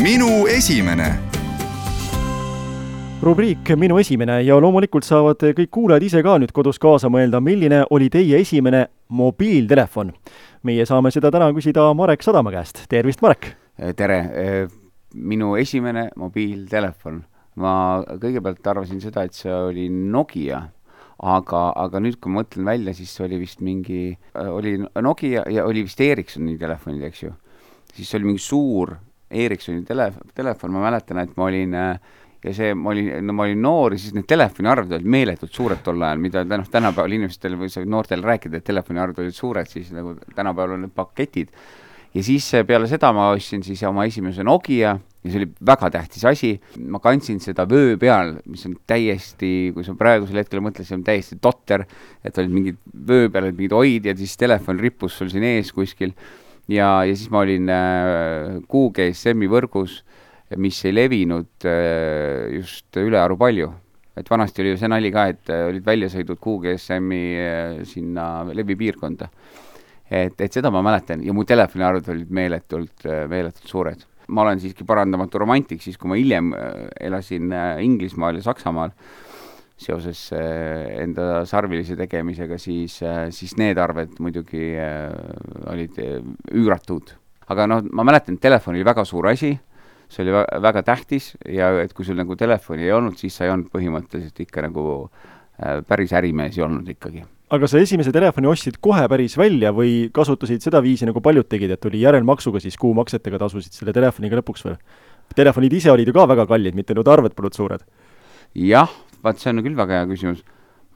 Minu esimene. Rubriik Minu esimene ja loomulikult saavad kõik kuulajad ise ka nüüd kodus kaasa mõelda, milline oli teie esimene mobiiltelefon. Meie saame seda täna küsida Marek Sadama käest. Tervist, Marek! Tere! Minu esimene mobiiltelefon. Ma kõigepealt arvasin seda, et see oli Nokia, aga nüüd kui ma mõtlen välja, siis oli vist oli Nokia ja oli vist Ericssoni telefonid, eks ju. Siis oli mingi suur Ericssoni telefon, ma mäletan, et ma olin ma olin noor ja siis need telefoniarved olid meeletult suured tol ajal, mida tänapäeval inimestel või noortel rääkida, et telefoniarved olid suured, siis nagu tänapäeval on need paketid. Ja siis peale seda ma ostsin siis oma esimese Nokia ja see oli väga tähtis asi. Ma kandsin seda vöö peal, mis on täiesti, kui sa praegusel hetkel mõtles, see on täiesti totter, et olid mingid vöö peal, mingid oid ja siis telefon rippus sul siin ees kuskil. Ja siis ma olin QGSM-i võrgus, mis ei levinud just ülearu palju. Et vanasti oli ju see nali ka, et olid väljasõidud QGSM-i sinna levipiirkonda. Et seda ma mäletan ja mu telefoniarvud olid meeletult suured. Ma olen siiski parandamatu romantik, siis kui ma hiljem elasin Inglismaal ja Saksamaal seoses enda sarvilise tegemisega, siis need arved muidugi olid üüratud. Aga ma mäletan, et telefon oli väga suur asi, see oli väga tähtis ja et kui sul nagu telefoni ei olnud, siis sa ei olnud põhimõtteliselt ikka nagu päris ärimees ei olnud ikkagi. Aga sa esimese telefoni ostsid kohe päris välja või kasutasid seda viisi nagu paljud tegid, et oli järelmaksuga siis kuumaksetega tasusid selle telefoniga lõpuks veel? Telefonid ise olid ju ka väga kallid, mitte nüüd arved polnud suured. Jah, see on küll väga hea küsimus.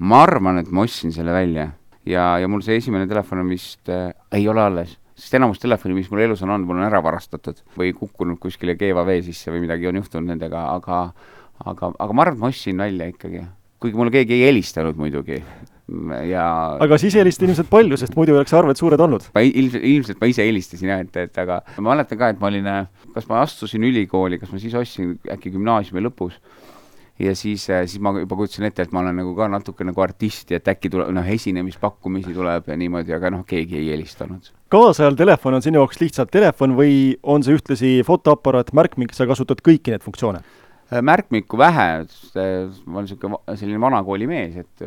Ma arvan, et ma ostsin selle välja ja mul see esimene telefon vist ei ole alles. Sest enamus telefoni, mis mul elus on, mul on ära varastatud või kukkunud kuskile keeva vee sisse või midagi on juhtunud nendega, aga ma arvan, et ma ostsin välja ikkagi. Kuigi mulle keegi ei helistanud muidugi. Aga siis helistasid inimesed palju, sest muidu oleks arved suured olnud. Ilmselt ma ise helistasin, aga ma mäletan ka, et ma olin, kas ma astusin ülikooli, kas ma siis ostsin äkki gümnaasiumi lõpus. Ja siis ma juba kutsun ette, et ma olen nagu ka natuke nagu artist ja et äkki tuleb, esinemispakkumisi tuleb ja niimoodi, aga keegi ei helistanud. Kaasajal telefon on sinu jaoks lihtsalt telefon või on see ühtlasi fotoaparaat, märkmik, sa kasutad kõiki need funktsioone? Märkmikku vähe, ma olen selline vanakooli mees, et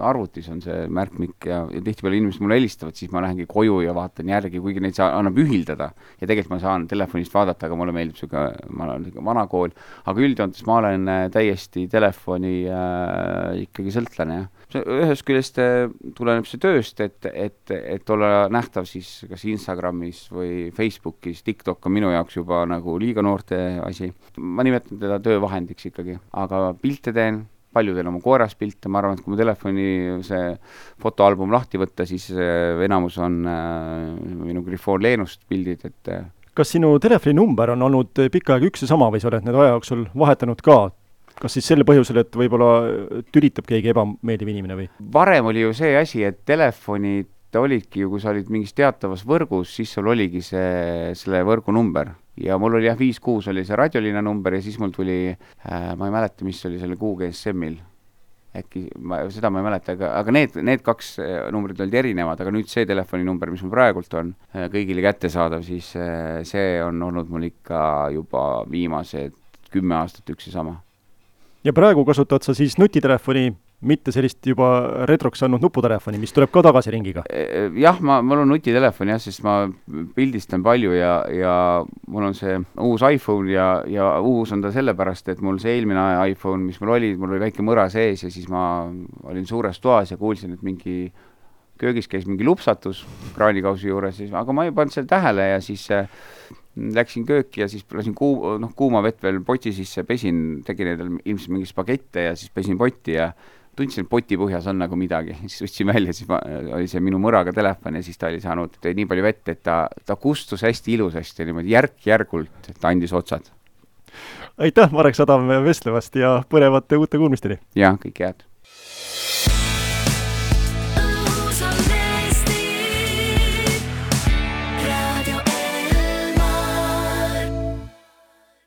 arvutis on see märkmik ja tihtipeale inimesed mulle helistavad, siis ma lähengi koju ja vaatan järgi, kuigi neid annab ühildada ja tegelikult ma saan telefonist vaadata, aga mulle meeldib ma olen vanakool, aga üldjoontes ma olen täiesti telefoni ikkagi sõltlane. Ühes küljest tuleneb see tööst, et olla nähtav siis kas Instagramis või Facebookis, TikTok on minu jaoks juba nagu liiga noorte asi. Ma nimetan teda töövahendiks ikkagi, aga pilte teen, palju teen oma koeras pilte, ma arvan, et kui mu telefoni see fotoalbum lahti võtta, siis enamus on minu Grifoon Leenust pildid, et kas sinu telefoni number on olnud pikka aega üks ja sama või sa oled need aja jooksul vahetanud ka? Kas siis selle põhjusel, et võib-olla tülitab keegi ebameeldiv inimene või? Varem oli ju see asi, et telefonid olidki ju, kui sa olid mingis teatavas võrgus, siis sul oligi selle võrgu number. Ja mul oli 5-6 oli see radiolina number ja siis mul tuli, ma ei mäleta, mis oli selle QGSM-il. Äkki, seda ma ei mäleta, aga need kaks numbrid olid erinevad, aga nüüd see telefoni number, mis mul praegult on kõigile kättesaadav, siis see on olnud mul ikka juba viimased 10 aastat üks ja sama. Ja praegu kasutad sa siis nutitelefoni, mitte sellist juba retroks andnud nuputelefoni, mis tuleb ka tagasi ringiga? Jah, mul on nutitelefon, sest ma pildistan palju ja mul on see uus iPhone ja uus on ta sellepärast, et mul see eelmine iPhone, mis mul oli väike mõra sees ja siis ma olin suures toas ja kuulsin, et mingi köögis käis mingi lupsatus kraanikausi juures, aga ma ei pannud selle tähele ja siis läksin kööki ja siis lasin kuuma vett veel poti sisse, pesin, tegin ilmselt mingi spagette ja siis pesin potti ja tundsin, et poti põhjas on nagu midagi. Siis võtsin välja, siis oli see minu mõraga telefon ja siis ta oli saanud nii palju vett, et ta kustus hästi ilusasti, niimoodi järk-järgult, et ta andis otsad. Aitäh, Marek Sadam vestlevast ja põnevate uute kuulmisteni! Ja, kõik head!